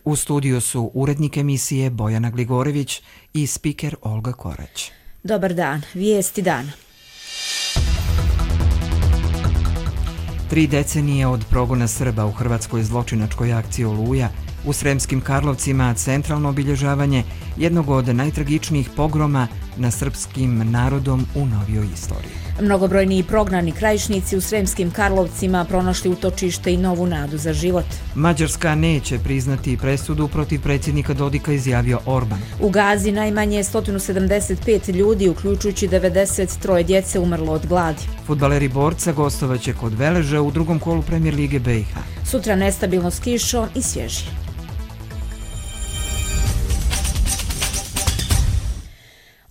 U studiju su urednik emisije Bojana Gligorević i spiker Olga Korać. Dobar dan, vijesti dana. 3 decenije od progona Srba u hrvatskoj zločinačkoj akciji Oluja u Sremskim Karlovcima centralno obilježavanje jednog od najtragičnijih pogroma na srpskim narodom u novijoj istoriji. Mnogobrojni i prognani krajišnici u Sremskim Karlovcima pronašli utočište i novu nadu za život. Mađarska neće priznati presudu protiv predsjednika Dodika, izjavio Orban. U Gazi najmanje 175 ljudi, uključujući 93 djece, umrlo od gladi. Fudbaleri Borca gostovaće kod Veleža u drugom kolu Premier lige BiH. Sutra nestabilno s kišom i svježije.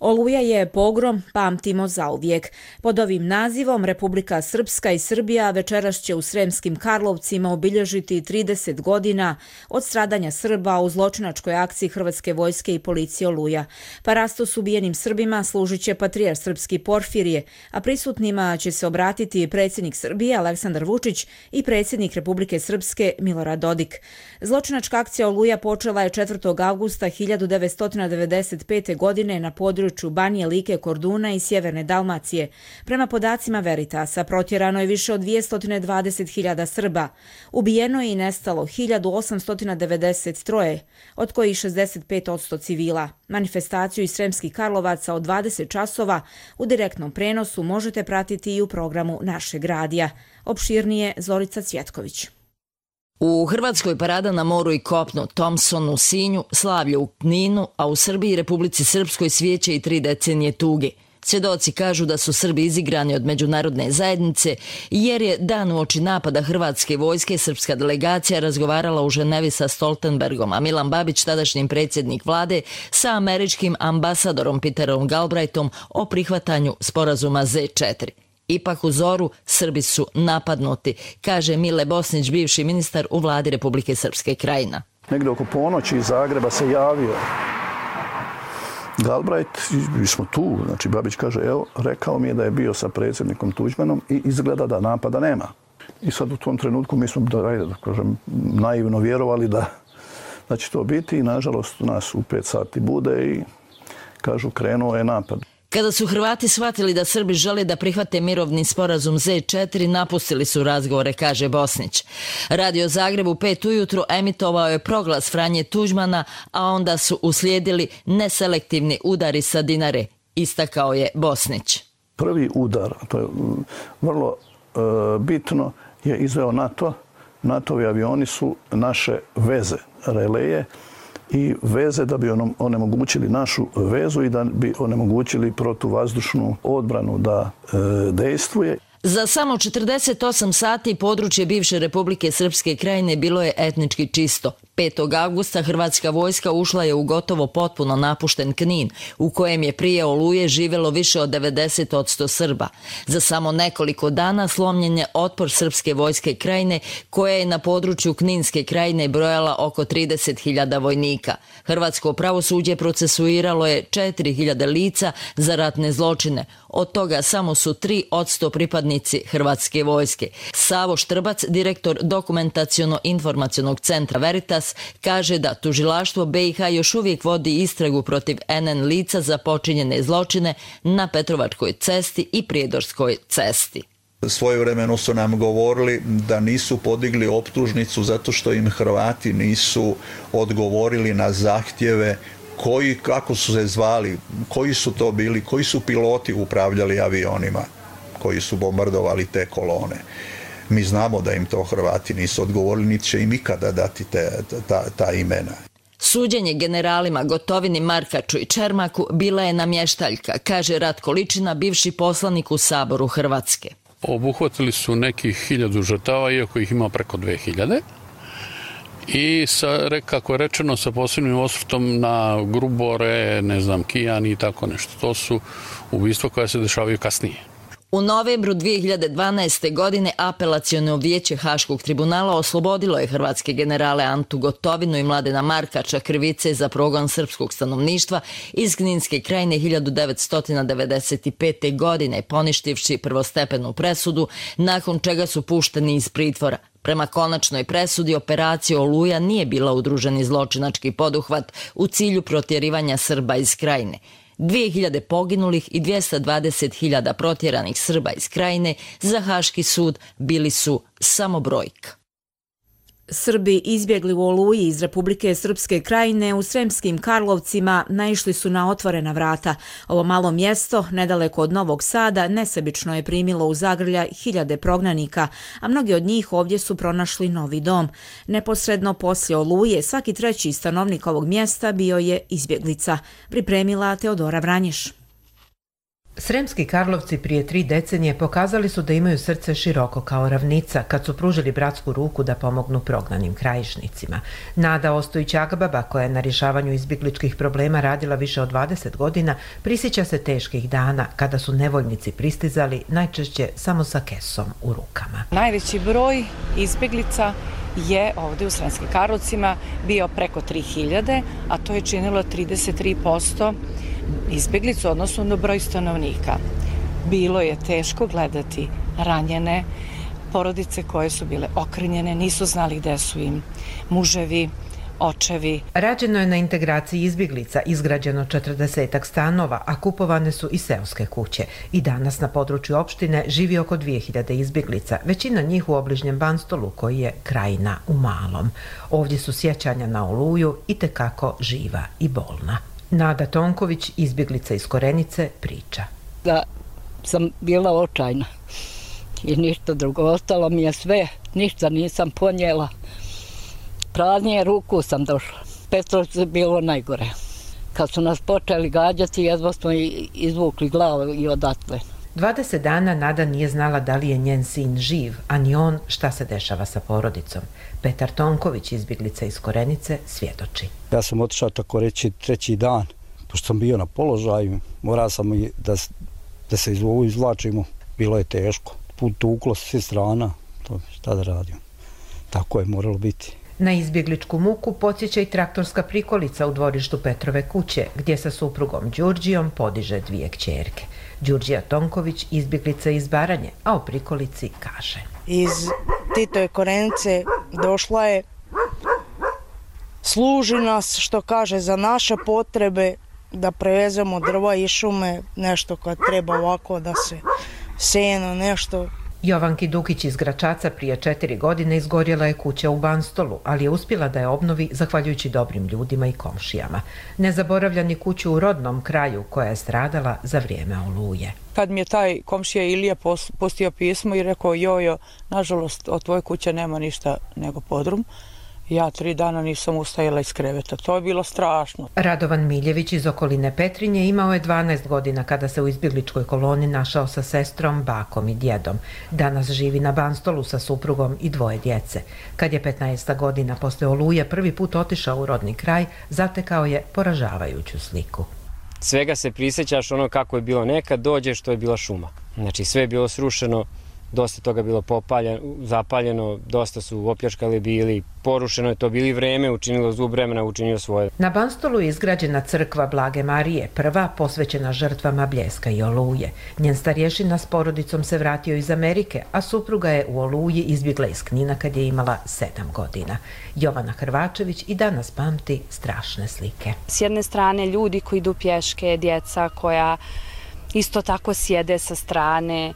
Oluja je pogrom, pamtimo zauvijek. Pod ovim nazivom Republika Srpska i Srbija večeras će u Sremskim Karlovcima obilježiti 30 godina od stradanja Srba u zločinačkoj akciji Hrvatske vojske i policije Oluja. Parastos ubijenim Srbima služit će patrijarh srpski Porfirije, a prisutnima će se obratiti predsjednik Srbije Aleksandar Vučić i predsjednik Republike Srpske Milorad Dodik. Zločinačka akcija Oluja počela je 4. avgusta 1995. godine na području Banije, Like, Korduna i sjeverne Dalmacije. Prema podacima Veritasa, protjerano je više od 220.000 Srba. Ubijeno je i nestalo 1893, od kojih 65% civila. Manifestaciju iz Sremskih Karlovaca od 20 časova u direktnom prenosu možete pratiti i u programu našeg radija. Opširnije Zorica Cvjetković. U Hrvatskoj parada na moru i kopnu, Thompson u Sinju, slavlje u Kninu, a u Srbiji i Republici Srpskoj svijeće i 3 decenije tuge. Svjedoci kažu da su Srbi izigrani od međunarodne zajednice jer je dan uoči napada Hrvatske vojske srpska delegacija razgovarala u Ženevi sa Stoltenbergom, a Milan Babić, tadašnji predsjednik vlade, sa američkim ambasadorom Peterom Galbraithom o prihvatanju sporazuma Z4. Ipak u zoru Srbi su napadnuti, kaže Mile Bosnić, bivši ministar u vladi Republike Srpske Krajina. Negdje oko ponoći iz Zagreba se javio Galbraith, mi smo tu, znači Babić kaže, evo, rekao mi je da je bio sa predsjednikom Tuđmanom i izgleda da napada nema. I sad u tom trenutku mi smo, da kažem, naivno vjerovali da će to biti i nažalost nas u 5 sati bude i kažu krenuo je napad. Kada su Hrvati shvatili da Srbi žele da prihvate mirovni sporazum Z4, napustili su razgovore, kaže Bosnić. Radio Zagreb u 5 ujutru emitovao je proglas Franje Tuđmana, a onda su uslijedili neselektivni udari sa Dinare, istakao je Bosnić. Prvi udar, to je vrlo bitno, je izveo NATO. NATO-vi avioni su naše veze, releje, i veze da bi onemogućili našu vezu i da bi onemogućili protuvazdušnu odbranu da dejstvuje. Za samo 48 sati područje bivše Republike Srpske Krajine bilo je etnički čisto. 5. avgusta hrvatska vojska ušla je u gotovo potpuno napušten Knin, u kojem je prije Oluje živjelo više od 90% Srba. Za samo nekoliko dana slomljen je otpor Srpske vojske Krajine, koja je na području Kninske Krajine brojala oko 30.000 vojnika. Hrvatsko pravosuđe procesuiralo je 4.000 lica za ratne zločine. Od toga samo su 3% pripadnici Hrvatske vojske. Savo Štrbac, direktor Dokumentaciono-informacionog centra Veritas, kaže da tužilaštvo BiH još uvijek vodi istragu protiv NN lica za počinjene zločine na Petrovačkoj cesti i Prijedorskoj cesti. Svojevremeno su nam govorili da nisu podigli optužnicu zato što im Hrvati nisu odgovorili na zahtjeve kako su se zvali, koji su to bili, koji su piloti upravljali avionima koji su bombardovali te kolone. Mi znamo da im to Hrvati nisu odgovorili, niti će im ikada dati ta imena. Suđenje generalima Gotovini, Markaču i Čermaku bila je namještaljka, kaže Ratko Ličina, bivši poslanik u Saboru Hrvatske. Obuhvatili su nekih 1000 žrtava, iako ih ima preko 2000. I kako je rečeno, sa posebnim osvrtom na Grubore, Kijani i tako nešto. To su ubistva koja se dešavaju kasnije. U novembru 2012. godine Apelaciono vijeće Haškog tribunala oslobodilo je hrvatske generale Antu Gotovinu i Mladena Markača krivice za progon srpskog stanovništva iz Kninske Krajine 1995. godine, poništivši prvostepenu presudu, nakon čega su pušteni iz pritvora. Prema konačnoj presudi, operacija Oluja nije bila udruženi zločinački poduhvat u cilju protjerivanja Srba iz Krajine. 2000 poginulih i 220.000 protjeranih Srba iz Krajine za Haški sud bili su samo brojka. Srbi izbjegli u Oluji iz Republike Srpske Krajine u Sremskim Karlovcima naišli su na otvorena vrata. Ovo malo mjesto, nedaleko od Novog Sada, nesebično je primilo u zagrljaj hiljade prognanika, a mnogi od njih ovdje su pronašli novi dom. Neposredno poslije Oluje svaki treći stanovnik ovog mjesta bio je izbjeglica. Pripremila Teodora Vranješ. Sremski Karlovci prije 3 decenije pokazali su da imaju srce široko kao ravnica kad su pružili bratsku ruku da pomognu prognanim krajišnicima. Nada Ostojić-Agbaba, koja je na rješavanju izbjegličkih problema radila više od 20 godina, prisjeća se teških dana kada su nevoljnici pristizali najčešće samo sa kesom u rukama. Najveći broj izbjeglica je ovdje u Sremskim Karlovcima bio preko 3000, a to je činilo 33% izbjeglicu odnosno na broj stanovnika. Bilo je teško gledati ranjene porodice koje su bile okrnjene, nisu znali gde su im muževi, očevi. Rađeno je na integraciji izbjeglica, izgrađeno 40 stanova, a kupovane su i seoske kuće. I danas na području opštine živi oko 2000 izbjeglica, većina njih u obližnjem Banstolu koji je krajina u malom. Ovdje su sjećanja na Oluju itekako živa i bolna. Nada Tonković, izbjeglica iz Korenice, priča. Da sam bila očajna i ništa drugo. Ostalo mi je sve, ništa nisam ponijela. Praznije ruku sam došla. Petrovcu je bilo najgore. Kad su nas počeli gađati, jedva smo izvukli glavu i odatle. 20 dana Nada nije znala da li je njen sin živ, a ni on šta se dešava sa porodicom. Petar Tonković, izbjeglica iz Korenice, svjedoči. Ja sam otišao tako reći 3. dan, pošto sam bio na položaju, morao sam i da se izvlačimo. Bilo je teško. Put tuklo s svih strana, to šta da radim. Tako je moralo biti. Na izbjegličku muku podsjeća i traktorska prikolica u dvorištu Petrove kuće, gdje sa suprugom Đurđijom podiže 2 kćerke. Đurđija Tonković, izbjeglica iz Baranje, a o prikolici kaže. Iz Titove Korenice došla je, služi nas, što kaže, za naše potrebe, da prevezemo drva i šume, nešto kad treba ovako da se seno, nešto. Jovanki Dukić iz Gračaca prije 4 godine izgorjela je kuća u Banstolu, ali je uspjela da je obnovi zahvaljujući dobrim ljudima i komšijama. Ne zaboravlja ni kuću u rodnom kraju koja je stradala za vrijeme Oluje. Kad mi je taj komšija Ilija postio pismo i rekao, jojo, nažalost od tvoje kuće nema ništa nego podrum, ja 3 dana nisam ustajala iz kreveta. To je bilo strašno. Radovan Miljević iz okoline Petrinje imao je 12 godina kada se u izbjegličkoj koloni našao sa sestrom, bakom i djedom. Danas živi na Banstolu sa suprugom i 2 djece. Kad je 15 godina posle Oluje prvi put otišao u rodni kraj, zatekao je poražavajuću sliku. Svega se prisjećaš ono kako je bilo nekad, dođe što je bila šuma. Znači sve je bilo srušeno, dosta toga bilo zapaljeno, dosta su opljačkali bili, porušeno je to bili vreme, učinilo zub vremena, učinio svoje. Na Banstolu je izgrađena crkva Blage Marije, prva posvećena žrtvama Bljeska i Oluje. Njen starješina s porodicom se vratio iz Amerike, a supruga je u Oluji izbjegla iz Knina kad je imala 7 godina. Jovana Hrvačević i danas pamti strašne slike. S jedne strane ljudi koji idu pješke, djeca koja isto tako sjede sa strane,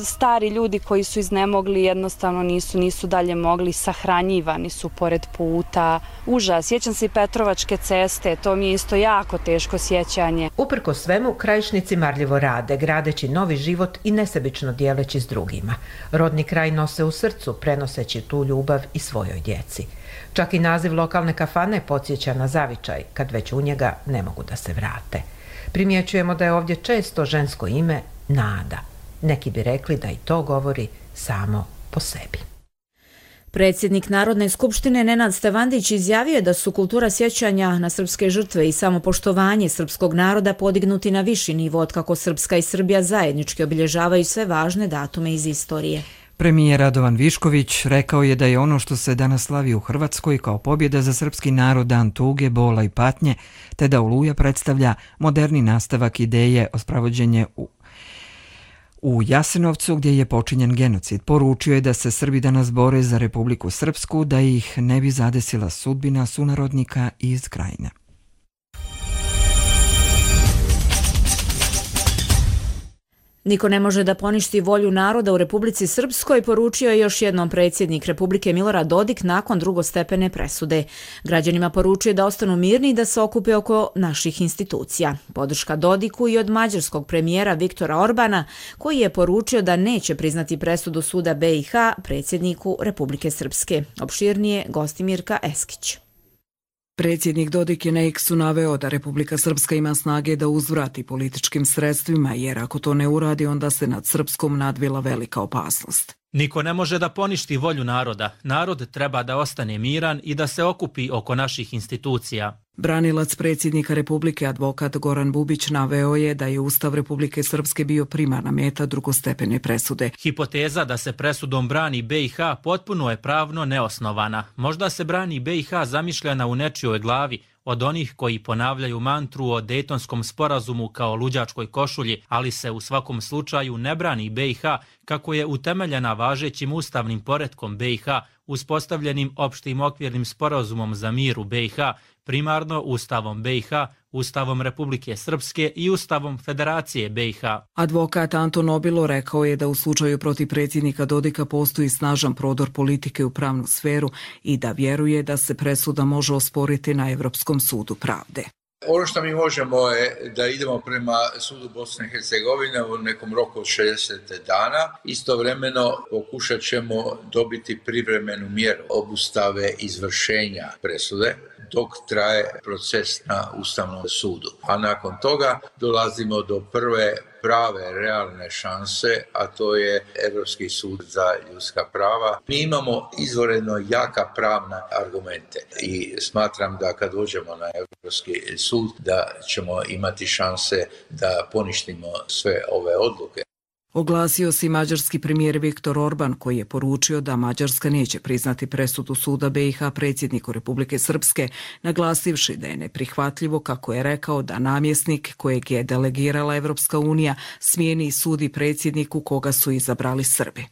stari ljudi koji su iznemogli, jednostavno nisu dalje mogli, sahranjivani su pored puta. Užas, sjećam se i Petrovačke ceste, to mi je isto jako teško sjećanje. Uprko svemu, krajišnici marljivo rade, gradeći novi život i nesebično dijeleći s drugima. Rodni kraj nose u srcu, prenoseći tu ljubav i svojoj djeci. Čak i naziv lokalne kafane podsjeća na zavičaj, kad već u njega ne mogu da se vrate. Primjećujemo da je ovdje često žensko ime Nada. Neki bi rekli da i to govori samo po sebi. Predsjednik Narodne skupštine Nenad Stevandić izjavio je da su kultura sjećanja na srpske žrtve i samopoštovanje srpskog naroda podignuti na viši nivo otkako Srpska i Srbija zajednički obilježavaju sve važne datume iz istorije. Premijer Radovan Višković rekao je da je ono što se danas slavi u Hrvatskoj kao pobjeda za srpski narod dan tuge, bola i patnje, te da Oluja predstavlja moderni nastavak ideje o spravođenje U Jasenovcu, gdje je počinjen genocid, poručio je da se Srbi danas bore za Republiku Srpsku, da ih ne bi zadesila sudbina sunarodnika iz Krajine. Niko ne može da poništi volju naroda u Republici Srpskoj, poručio je još jednom predsjednik Republike Milorad Dodik nakon drugostepene presude. Građanima poručuje da ostanu mirni i da se okupe oko naših institucija. Podrška Dodiku i od mađarskog premijera Viktora Orbana, koji je poručio da neće priznati presudu suda BiH predsjedniku Republike Srpske. Opširnije Gostimirka Eskić. Predsjednik Dodik je na X-u naveo da Republika Srpska ima snage da uzvrati političkim sredstvima, jer ako to ne uradi, onda se nad Srpskom nadvila velika opasnost. Niko ne može da poništi volju naroda. Narod treba da ostane miran i da se okupi oko naših institucija. Branilac predsjednika Republike, advokat Goran Bubić, naveo je da je Ustav Republike Srpske bio primarna meta drugostepene presude. Hipoteza da se presudom brani BiH potpuno je pravno neosnovana. Možda se brani BiH zamišljena u nečijoj glavi, od onih koji ponavljaju mantru o Dejtonskom sporazumu kao luđačkoj košulji, ali se u svakom slučaju ne brani BiH kako je utemeljena važećim ustavnim poretkom BiH, uspostavljenim opštim okvirnim sporazumom za mir u BiH, primarno Ustavom BiH, Ustavom Republike Srpske i Ustavom Federacije BiH. Advokat Anton Obilo rekao je da u slučaju protiv predsjednika Dodika postoji snažan prodor politike u pravnu sferu i da vjeruje da se presuda može osporiti na Evropskom sudu pravde. Ono što mi možemo je da idemo prema sudu Bosne i Hercegovine u nekom roku od 60 dana. Istovremeno pokušat ćemo dobiti privremenu mjeru obustave izvršenja presude dok traje proces na Ustavnom sudu. A nakon toga dolazimo do prve prave, realne šanse, a to je Europski sud za ljudska prava. Mi imamo izvanredno jaka pravna argumente i smatram da kad dođemo na Europski sud da ćemo imati šanse da poništimo sve ove odluke. Oglasio se i mađarski premijer Viktor Orban, koji je poručio da Mađarska neće priznati presudu suda BiH predsjedniku Republike Srpske, naglasivši da je neprihvatljivo, kako je rekao, da namjesnik kojeg je delegirala Evropska unija smijeni i sudi predsjedniku koga su izabrali Srbi.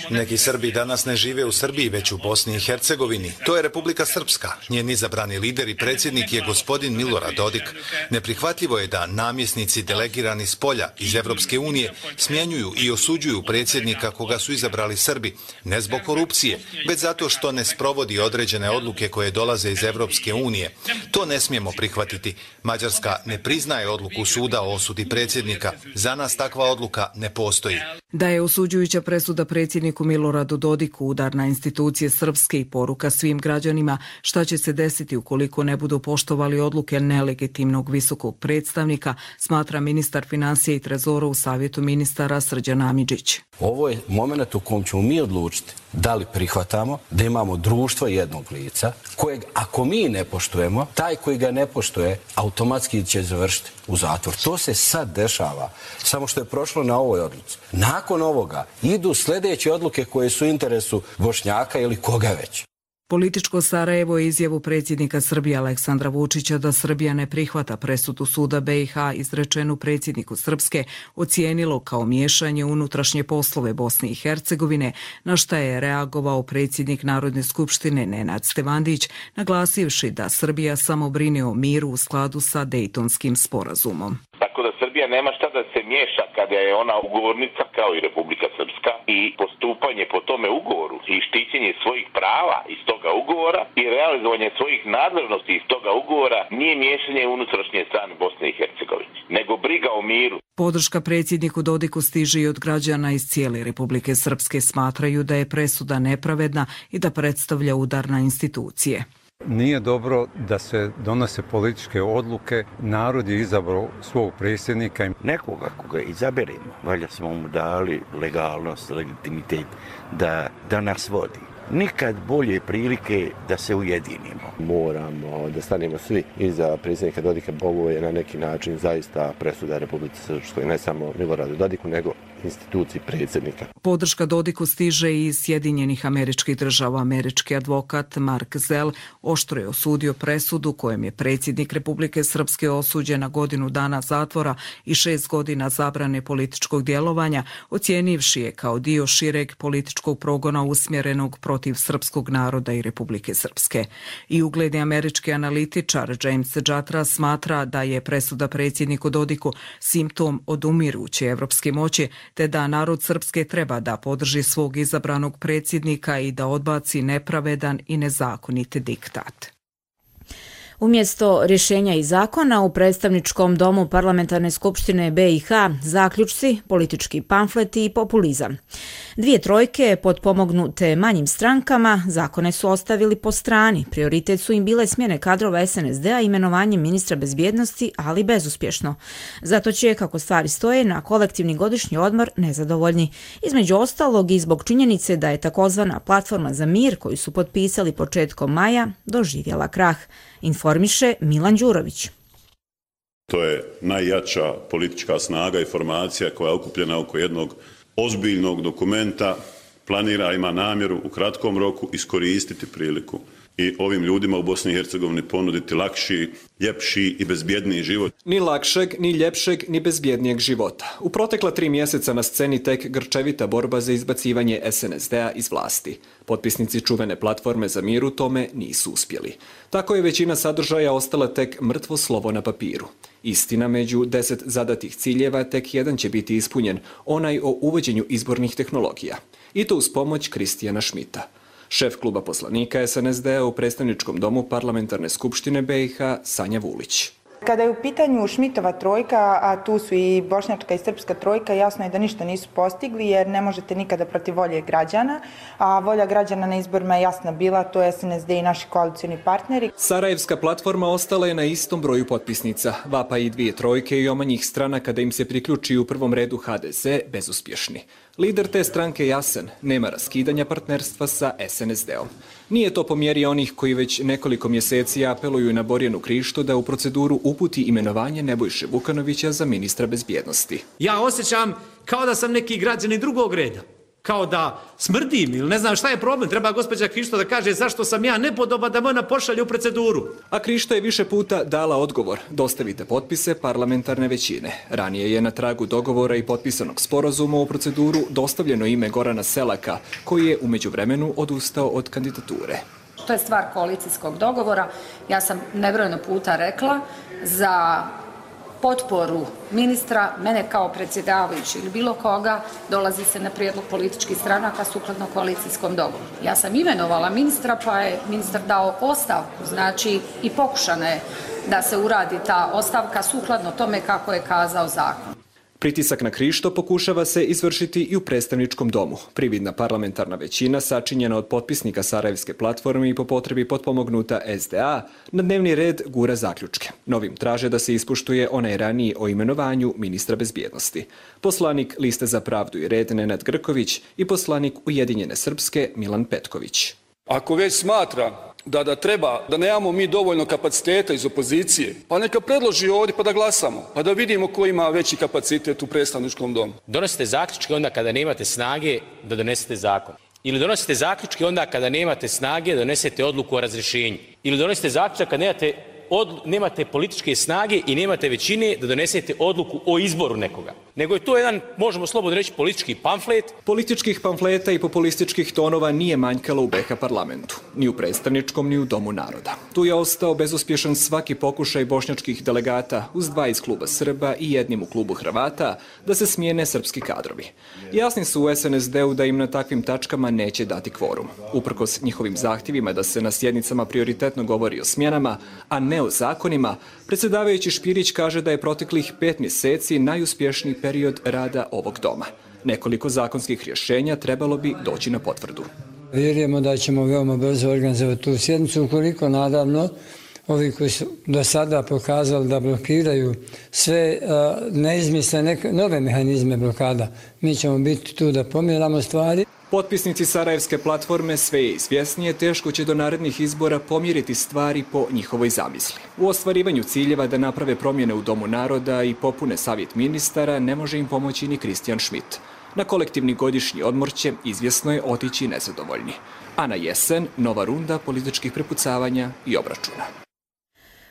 Neki Srbi danas ne žive u Srbiji, već u Bosni i Hercegovini. To je Republika Srpska. Njen izabrani lider i predsjednik je gospodin Milorad Dodik. Neprihvatljivo je da namjesnici delegirani s polja iz Evropske unije smjenjuju i osuđuju predsjednika koga su izabrali Srbi, ne zbog korupcije, već zato što ne sprovodi određene odluke koje dolaze iz Evropske unije. To ne smijemo prihvatiti. Mađarska ne priznaje odluku suda o osudi predsjednika. Za nas takva odluka ne postoji. Da je osuđujuća presuda predsjedniku Miloradu Dodiku udar na institucije srpske i poruka svim građanima šta će se desiti ukoliko ne budu poštovali odluke nelegitimnog visokog predstavnika, smatra ministar financija i trezora u Savjetu ministara Srđan Amidžić. Ovo je moment u kojem ćemo mi odlučiti da li prihvatamo da imamo društvo jednog lica kojeg ako mi ne poštujemo, taj koji ga ne poštuje automatski će završiti u zatvor. To se sad dešava, samo što je prošlo na ovoj odluci. Nakon ovoga idu sljedeće odluke koje su u interesu Bošnjaka ili koga već. Političko Sarajevo je izjavu predsjednika Srbije Aleksandra Vučića da Srbija ne prihvata presudu suda BiH izrečenu predsjedniku Srpske ocijenilo kao miješanje u unutrašnje poslove Bosne i Hercegovine, na šta je reagovao predsjednik Narodne skupštine Nenad Stevandić, naglasivši da Srbija samo brine o miru u skladu sa Dejtonskim sporazumom. Tako da Srbija nema šta da se miješa kada je ona ugovornica kao i Republika Srpska i postupanje po tome ugovoru i štićenje svojih prava iz toga ugovora i realizovanje svojih nadležnosti iz toga ugovora nije miješanje u unutrašnje strane Bosne i Hercegovine, nego briga o miru. Podrška predsjedniku Dodiku stiže i od građana iz cijele Republike Srpske, smatraju da je presuda nepravedna i da predstavlja udar na institucije. Nije dobro da se donose političke odluke. Narod je izabrao svog predsjednika. Nekoga koga izaberemo, valjda smo mu dali legalnost, legitimitet da nas vodi. nikad bolje prilike da se ujedinimo. Moramo da stanemo svi iza predsjednika Dodika. Ovo je na neki način zaista presuda Republike Srpskoj, ne samo Miloradu Dodiku, nego instituciji predsjednika. Podrška Dodiku stiže iz Sjedinjenih Američkih Država. Američki advokat Mark Zell oštro je osudio presudu kojem je predsjednik Republike Srpske osuđen na godinu dana zatvora i 6 godina zabrane političkog djelovanja, ocijenivši je kao dio šireg političkog progona usmjerenog protiv srpskog naroda i Republike Srpske. I ugledni američki analitičar James Jatra smatra da je presuda predsjedniku Dodiku simptom odumiruće evropske moći, te da narod Srpske treba da podrži svog izabranog predsjednika i da odbaci nepravedan i nezakonit diktat. Umjesto rješenja i zakona u predstavničkom domu Parlamentarne skupštine BiH zaključci, politički pamfleti i populizam. 2 trojke potpomognute manjim strankama zakone su ostavili po strani. Prioritet su im bile smjene kadrova SNSD-a i imenovanje ministra bezbjednosti, ali bezuspješno. Zato će, kako stvari stoje, na kolektivni godišnji odmor nezadovoljni. Između ostalog i zbog činjenice da je takozvana platforma za mir koju su potpisali početkom maja doživjela krah. Informiše Milan Đurović. To je najjača politička snaga i formacija koja je okupljena oko jednog ozbiljnog dokumenta, planira, ima namjeru u kratkom roku iskoristiti priliku i ovim ljudima u Bosni i Hercegovini ponuditi lakši, ljepši i bezbjedniji život. Ni lakšeg, ni ljepšeg, ni bezbjednijeg života. U protekla 3 mjeseca na sceni tek grčevita borba za izbacivanje SNSD-a iz vlasti. Potpisnici čuvene platforme za mir u tome nisu uspjeli. Tako je većina sadržaja ostala tek mrtvo slovo na papiru. Istina, među 10 zadatih ciljeva tek jedan će biti ispunjen, onaj o uvođenju izbornih tehnologija. I to uz pomoć Kristijana Šmita. Šef kluba poslanika SNSD-a u predstavničkom domu Parlamentarne skupštine BiH Sanja Vulić. Kada je u pitanju Šmitova trojka, a tu su i bošnjačka i srpska trojka, jasno je da ništa nisu postigli jer ne možete nikada protiv volje građana, a volja građana na izborima je jasna bila, to je SNSD i naši koalicijni partneri. Sarajevska platforma ostala je na istom broju potpisnica. Vapa i 2 trojke i omanjih strana kada im se priključi u prvom redu HDZ bezuspješni. Lider te stranke je jasan, nema raskidanja partnerstva sa SNSD-om. Nije to po mjeri onih koji već nekoliko mjeseci apeluju na Borjanu Krištu da u proceduru uputi imenovanje Nebojše Vukanovića za ministra bezbjednosti. Ja osjećam kao da sam neki građani drugog reda. Kao da smrdim ili ne znam šta je problem. Treba gospođa Krišto da kaže zašto sam ja nepodoban da me ona pošalje u proceduru. A Krišto je više puta dala odgovor. Dostavite potpise parlamentarne većine. Ranije je na tragu dogovora i potpisanog sporazuma u proceduru dostavljeno ime Gorana Selaka, koji je u međuvremenu odustao od kandidature. To je stvar koalicijskog dogovora. Ja sam nebrojeno puta rekla za potporu ministra, mene kao predsjedavajući ili bilo koga, dolazi se na prijedlog političkih stranaka sukladno koalicijskom dogovoru. Ja sam imenovala ministra, pa je ministar dao ostavku, znači i pokušana je da se uradi ta ostavka sukladno tome kako je kazao zakon. Pritisak na Krišto pokušava se izvršiti i u predstavničkom domu. Prividna parlamentarna većina, sačinjena od potpisnika Sarajevske platforme i po potrebi potpomognuta SDA, na dnevni red gura zaključke. Novim traže da se ispoštuje onaj raniji o imenovanju ministra bezbjednosti. Poslanik Liste za pravdu i red Nenad Grković i poslanik Ujedinjene Srpske Milan Petković. Ako već smatra da treba, da nemamo mi dovoljno kapaciteta iz opozicije, pa neka predloži ovdje pa da glasamo, pa da vidimo ko ima veći kapacitet u predstavničkom domu. Donosite zaključke onda kada nemate snage da donesete zakon. Ili donosite zaključke onda kada nemate snage da donesete odluku o razrješenju. Ili donosite zaključak kada nemate političke snage i nemate većine da donesete odluku o izboru nekoga. Nego je to jedan, možemo slobodno reći, politički pamflet. Političkih pamfleta i populističkih tonova nije manjkalo u BiH parlamentu. Ni u predstavničkom, ni u Domu naroda. Tu je ostao bezuspješan svaki pokušaj bošnjačkih delegata uz 2 iz kluba Srba i jednim u klubu Hrvata da se smijene srpski kadrovi. Jasni su u SNSD-u da im na takvim tačkama neće dati kvorum. Uprkos njihovim zahtjevima da se na sjednicama prioritetno govori o smjenama, a ne o zakonima, predsjedavajući Špirić kaže da je proteklih 5 mjeseci najuspješniji period rada ovog doma. Nekoliko zakonskih rješenja trebalo bi doći na potvrdu. Vjerujemo da ćemo veoma brzo organizovati tu sjednicu, ukoliko naravno ovi koji su do sada pokazali da blokiraju sve, ne izmisle nove mehanizme blokada. Mi ćemo biti tu da pomjeramo stvari. Potpisnici Sarajevske platforme sve je izvjesnije, teško će do narednih izbora pomjeriti stvari po njihovoj zamisli. U ostvarivanju ciljeva da naprave promjene u Domu naroda i popune savjet ministara ne može im pomoći ni Christian Schmidt. Na kolektivni godišnji odmor će, izvjesno je, otići nezadovoljni. A na jesen nova runda političkih prepucavanja i obračuna.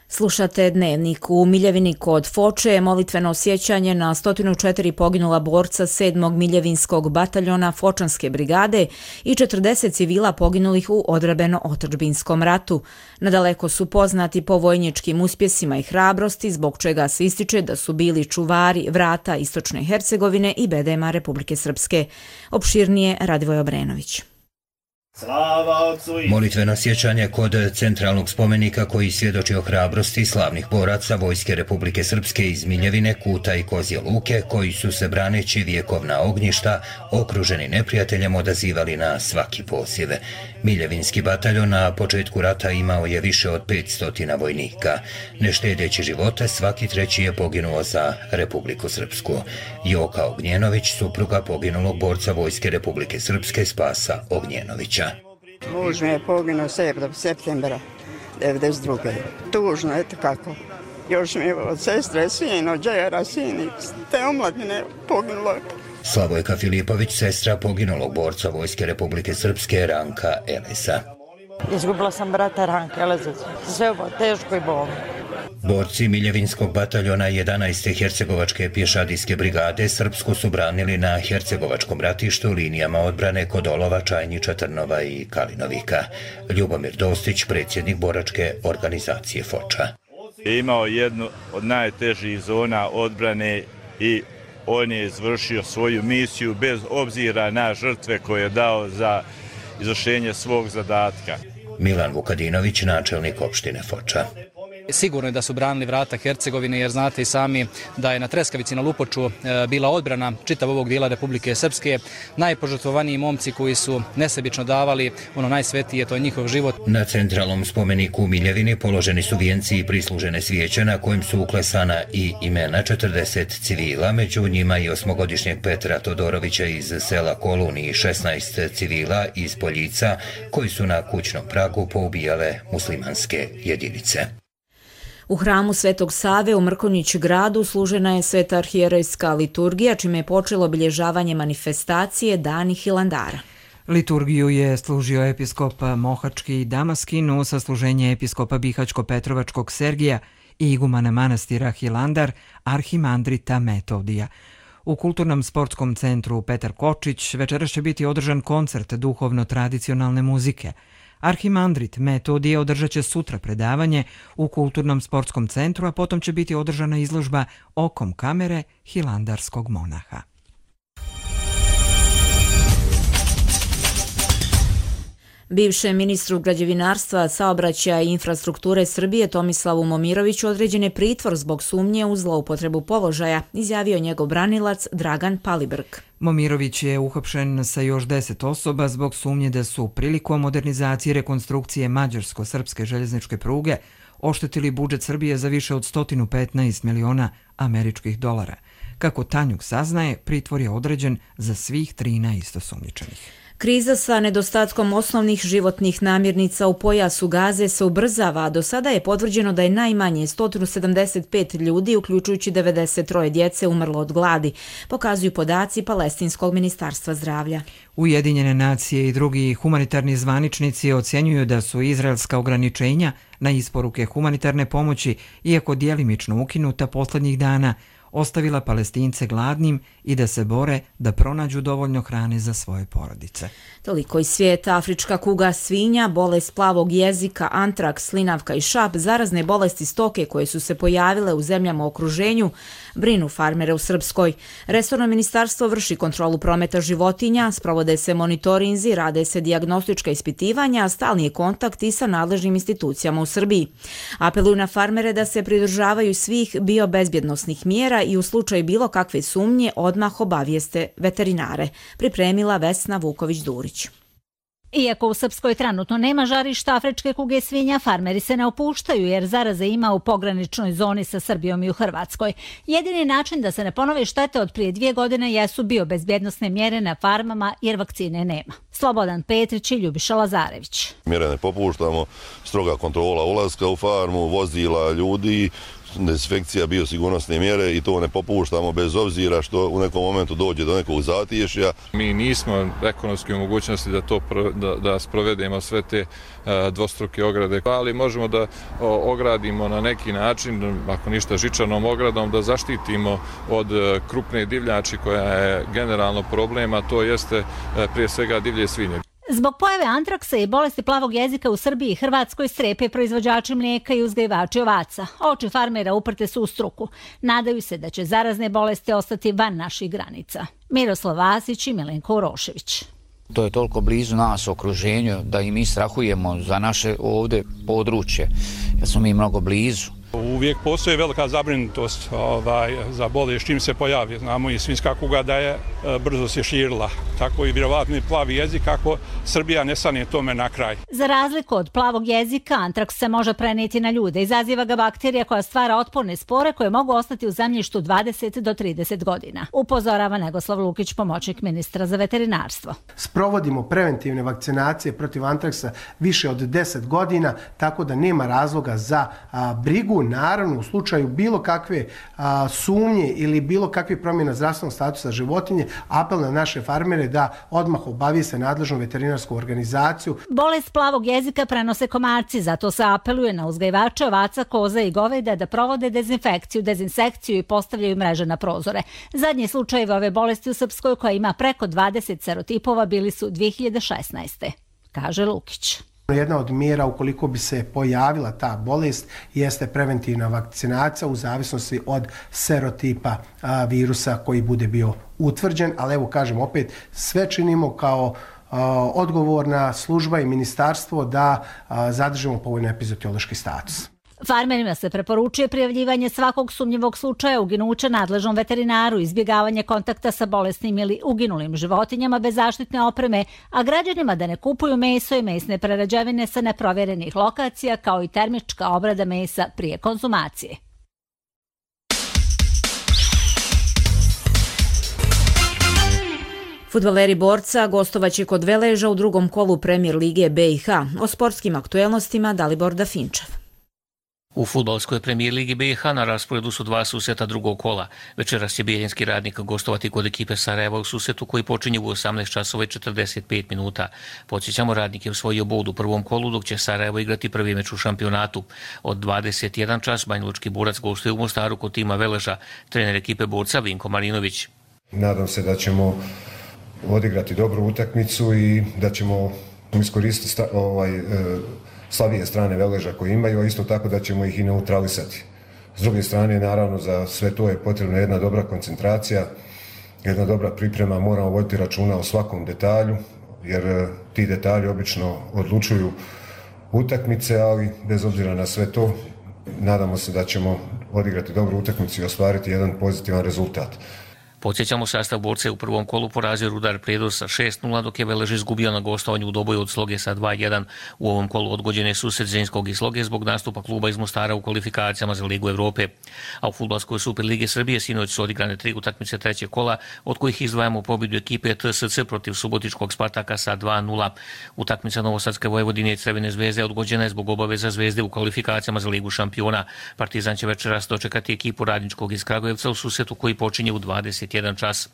Slušate Dnevnik. U Miljevini kod Foče je molitveno sjećanje na 104 poginula borca 7. Miljevinskog bataljona Fočanske brigade i 40 civila poginulih u odbrambeno-otadžbinskom ratu. Nadaleko su poznati po vojničkim uspjesima i hrabrosti, zbog čega se ističe da su bili čuvari vrata Istočne Hercegovine i bedema Republike Srpske. Opširnije Radivoj Obrenović. Molitveno sjećanje kod centralnog spomenika koji svjedoči o hrabrosti slavnih boraca Vojske Republike Srpske iz Miljevine, Kuta i Kozje Luke, koji su se braneći vjekovna ognjišta, okruženi neprijateljem, odazivali na svaki poziv. Miljevinski bataljon na početku rata imao je više od 500 vojnika. Ne štedeći živote, svaki treći je poginuo za Republiku Srpsku. Joka Ognjenović, supruga poginulog borca Vojske Republike Srpske Spasa Ognjenovića. Muž mi je poginuo 7. septembra 1992. Tužno, eto kako. Još mi je od sestre sin, od džejara sin, te omladine poginulo. Slavojka Filipović, sestra poginulog borca Vojske Republike Srpske Ranka Eleza. Izgubila sam brata Ranka Eleza, sve ovo teško i bolno. Borci Miljevinskog bataljona 11. Hercegovačke pješadijske brigade Srpsku su branili na Hercegovačkom ratištu linijama odbrane kod Olova, Čajniča, Trnova i Kalinovika. Ljubomir Dostić, predsjednik boračke organizacije Foča. Imao jednu od najtežih zona odbrane i on je izvršio svoju misiju bez obzira na žrtve koje je dao za izvršenje svog zadatka. Milan Vukadinović, načelnik opštine Foča. Sigurno je da su branili vrata Hercegovine, jer znate i sami da je na Treskavici na Lupoču bila odbrana čitav ovog dijela Republike Srpske. Najpožrtvovaniji momci koji su nesebično davali ono najsvetije, to je njihov život. Na centralnom spomeniku u Miljevini položeni su vijenci i prislužene svijeće na kojim su uklesana i imena 40 civila, među njima i 8-godišnjeg Petra Todorovića iz sela Kolun i 16 civila iz Poljica koji su na kućnom pragu poubijale muslimanske jedinice. U hramu Svetog Save u Mrkonjić gradu služena je sveta arhijerejska liturgija, čime je počelo obilježavanje manifestacije Dani Hilandara. Liturgiju je služio episkop Mohački Damaskin uz sasluženje episkopa Bihaćko-Petrovačkog Sergija i igumana manastira Hilandar arhimandrita Metodija. U Kulturnom sportskom centru Petar Kočić večeras će biti održan koncert duhovno-tradicionalne muzike. Arhimandrit Metodije održat će sutra predavanje u Kulturnom sportskom centru, a potom će biti održana izložba Okom kamere hilandarskog monaha. Bivšem ministru građevinarstva, saobraćaja i infrastrukture Srbije Tomislavu Momiroviću određen je pritvor zbog sumnje u zloupotrebu položaja, izjavio njegov branilac Dragan Palibrk. Momirović je uhapšen sa još 10 osoba zbog sumnje da su prilikom modernizacije i rekonstrukcije mađarsko-srpske željezničke pruge oštetili budžet Srbije za više od 115 miliona američkih dolara. Kako Tanjuk saznaje, pritvor je određen za svih 13 osumnjičenih. Kriza sa nedostatkom osnovnih životnih namirnica u pojasu Gaze se ubrzava, a do sada je potvrđeno da je najmanje 175 ljudi, uključujući 93 djece, umrlo od gladi, pokazuju podaci Palestinskog ministarstva zdravlja. Ujedinjene nacije i drugi humanitarni zvaničnici ocjenjuju da su izraelska ograničenja na isporuke humanitarne pomoći, iako djelimično ukinuta posljednjih dana, ostavila Palestince gladnim i da se bore da pronađu dovoljno hrane za svoje porodice. Toliko iz svijeta. Afrička kuga svinja, bolest plavog jezika, antraks, slinavka i šap, zarazne bolesti stoke koje su se pojavile u zemljama u okruženju, brinu farmere u Srpskoj. Resorno ministarstvo vrši kontrolu prometa životinja, sprovode se monitorinzi, rade se dijagnostička ispitivanja, stalni je kontakt i sa nadležnim institucijama u Srbiji. Apeluju na farmere da se pridržavaju svih biobezbjednosnih mjera i u slučaju bilo kakve sumnje odmah obavijeste veterinare, pripremila Vesna Vuković-Durić. Iako u Srpskoj trenutno nema žarišta afričke kuge svinja, farmeri se ne opuštaju jer zaraze ima u pograničnoj zoni sa Srbijom i u Hrvatskoj. Jedini način da se ne ponove štete od prije 2 godine jesu biobezbjednosne mjere na farmama jer vakcine nema. Slobodan Petrić i Ljubiša Lazarević. Mjere ne popuštamo, stroga kontrola ulaska u farmu, vozila, ljudi, dezinfekcija, biosigurnosne mjere i to ne popuštamo bez obzira što u nekom momentu dođe do nekog zatješja. Mi nismo ekonomski u mogućnosti da sprovedemo sve te dvostruke ograde, ali možemo da ogradimo na neki način, ako ništa žičanom ogradom, da zaštitimo od krupne divljači koja je generalno problem, a to jeste prije svega divlje svinje. Zbog pojave antraksa i bolesti plavog jezika u Srbiji i Hrvatskoj strepe proizvođači mlijeka i uzgajivači ovaca. Oči farmera uprte su u struku. Nadaju se da će zarazne bolesti ostati van naših granica. Miroslav Vasić i Milenko Urošević. To je toliko blizu nas u okruženju da i mi strahujemo za naše ovdje područje, jer smo mi mnogo blizu. Uvijek postoji velika zabrinutost za bolest čim se pojavi. Znamo i svinjska kuga da je brzo se širila. Tako i vjerovatno plavi jezik ako Srbija ne stane tome na kraj. Za razliku od plavog jezika, antraks se može prenijeti na ljude. Izaziva ga bakterija koja stvara otporne spore koje mogu ostati u zemljištu 20 do 30 godina. Upozorava Negoslav Lukić, pomoćnik ministra za veterinarstvo. Sprovodimo preventivne vakcinacije protiv antraksa više od 10 godina, tako da nema razloga za brigu. Naravno, u slučaju bilo kakve sumnje ili bilo kakve promjena zdravstvenog statusa životinje, apel na naše farmere da odmah obavijeste nadležnu veterinarsku organizaciju. Bolest plavog jezika prenose komarci, zato se apeluje na uzgajivače ovaca, koza i goveda da provode dezinsekciju i postavljaju mreže na prozore. Zadnji slučajevi ove bolesti u Srpskoj, koja ima preko 20 serotipova, bili su 2016. kaže Lukić. Jedna od mjera ukoliko bi se pojavila ta bolest jeste preventivna vakcinacija u zavisnosti od serotipa virusa koji bude bio utvrđen, ali evo kažem opet, sve činimo kao odgovorna služba i ministarstvo da zadržimo povoljno epizootiološki status. Farmerima se preporučuje prijavljivanje svakog sumnjivog slučaja uginuća nadležnom veterinaru, izbjegavanje kontakta sa bolesnim ili uginulim životinjama bez zaštitne opreme, a građanima da ne kupuju meso i mesne prerađevine sa neprovjerenih lokacija, kao i termička obrada mesa prije konzumacije. Fudbaleri Borca gostovaće kod Veleža u drugom kolu Premier lige BiH. O sportskim aktuelnostima Dalibor Dafinčev. U fudbalskoj premijer ligi BiH na rasporedu su 2 susreta drugog kola. Večeras će Bijeljinski Radnik gostovati kod ekipe Sarajeva u susretu koji počinje u 18 časova i 45 minuta. Podsjećamo, Radnik je osvojio bod u prvom kolu, dok će Sarajevo igrati prvi meč u šampionatu. Od 21 čas Banjalučki Borac gostuje u Mostaru kod tima Veleža. Trener ekipe Borca Vinko Marinović. Nadam se da ćemo odigrati dobru utakmicu i da ćemo iskoristiti slabije strane Veleža koje imaju, a isto tako da ćemo ih i neutralisati. S druge strane, naravno, za sve to je potrebna jedna dobra koncentracija, jedna dobra priprema, moramo voditi računa o svakom detalju, jer ti detalji obično odlučuju utakmice, ali bez obzira na sve to, nadamo se da ćemo odigrati dobru utakmicu i ostvariti jedan pozitivan rezultat. Podsjećamo, sastav Borca je u prvom kolu porazio Rudar Predos sa 6-0, dok je Velež izgubio na gostovanju u Doboju od Sloge sa 2-1. U ovom kolu odgođene susret Zrinskog i Sloge zbog nastupa kluba iz Mostara u kvalifikacijama za Ligu Evrope. A u fudbalskoj Superligi Srbije sinoć su odigrane 3 utakmice trećeg kola, od kojih izdvajamo pobjedu ekipe TSC protiv Subotičkog Spartaka sa 2-0. Utakmica Novosadske Vojvodine i Crvene Zvezde odgođena je zbog obaveza Zvezde u kvalifikacijama za Ligu šampiona. Partizan će večeras dočekati ekipu Radničkog iz Kragujevca u susretu koji počinje u 21 čas.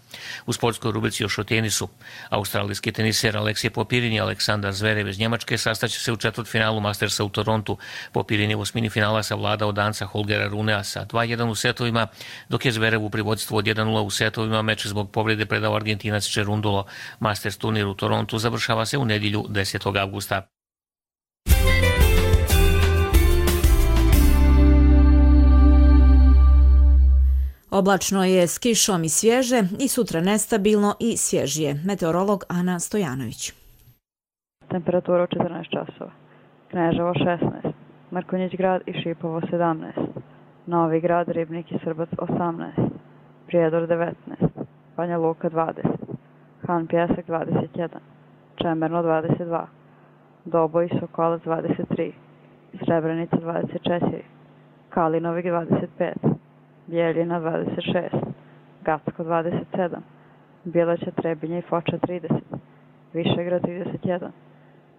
U sportskoj rubrici još o tenisu. Australijski teniser Aleksej Popirin i Aleksandar Zverev iz Njemačke sastaće se u četvrtfinalu Mastersa u Torontu. Popirin je u osmini finala savladao Danca Holgera Runea sa 2-1 u setovima, dok je Zverev u privodstvu od 1-0 u setovima meč zbog povrede predao Argentinac Cerundolo. Masters turnir u Torontu završava se u nedjelju 10. avgusta. Oblačno je s kišom i svježe i sutra nestabilno i svježije. Meteorolog Ana Stojanović. Temperatura 14 časova. Kneževo 16, Mrkonjić grad i Šipovo 17, Novi grad, Ribnik i Srbac 18, Prijedor 19, Banja Luka 20, Han Pjesak 21, Čemerno 22, Doboj i Sokolac 23, Srebrenica 24, Kalinovik 25, Bijeljina 26, Gacko 27, Bileća, Trebinje i Foča 30, Višegrad 31,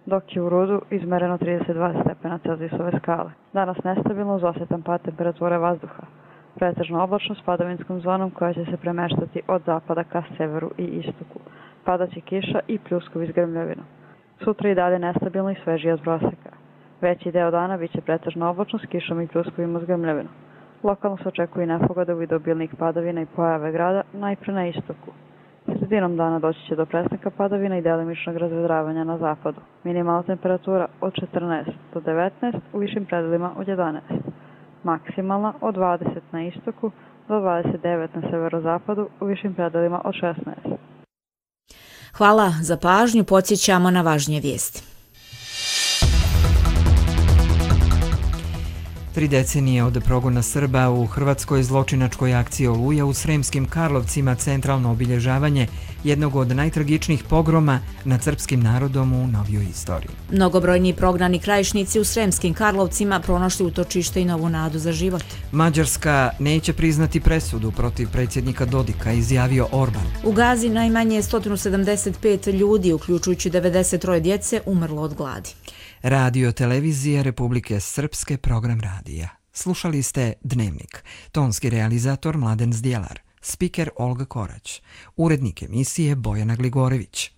dok je u Rudu izmereno 32 stepena Celzijusove skale. Danas nestabilno uz osetan pad temperature vazduha. Pretežno oblačno s padavinskom zonom koja će se premeštati od zapada ka severu i istoku. Padaće kiša i pljuskovi s grmljavinom. Sutra i dalje nestabilno i svežije od proseka. Veći deo dana biće pretežno oblačno s kišom i pljuskovima s grmljavinom. Lokalno se očekuje nepogode u vidu obilnih padavina i pojave grada, najpre na istoku. Sredinom dana doći će do prestanka padavina i delimičnog razvedravanja na zapadu. Minimalna temperatura od 14 do 19, u višim predelima od 11. Maksimalna od 20 na istoku do 29 na severozapadu, u višim predelima od 16. Hvala za pažnju, podsjećamo na važnije vijesti. 3 decenije od progona Srba u hrvatskoj zločinačkoj akciji Oluja u Sremskim Karlovcima centralno obilježavanje jednog od najtragičnijih pogroma nad srpskim narodom u novijoj istoriji. Mnogobrojni prognani krajišnici u Sremskim Karlovcima pronašli utočište i novu nadu za život. Mađarska neće priznati presudu protiv predsjednika Dodika, izjavio Orban. U Gazi najmanje 175 ljudi, uključujući 93 djece, umrlo od gladi. Radio televizija Republike Srpske, program radija. Slušali ste Dnevnik. Tonski realizator Mladen Zdjelar. Spiker Olga Korać. Urednik emisije Bojana Gligorević.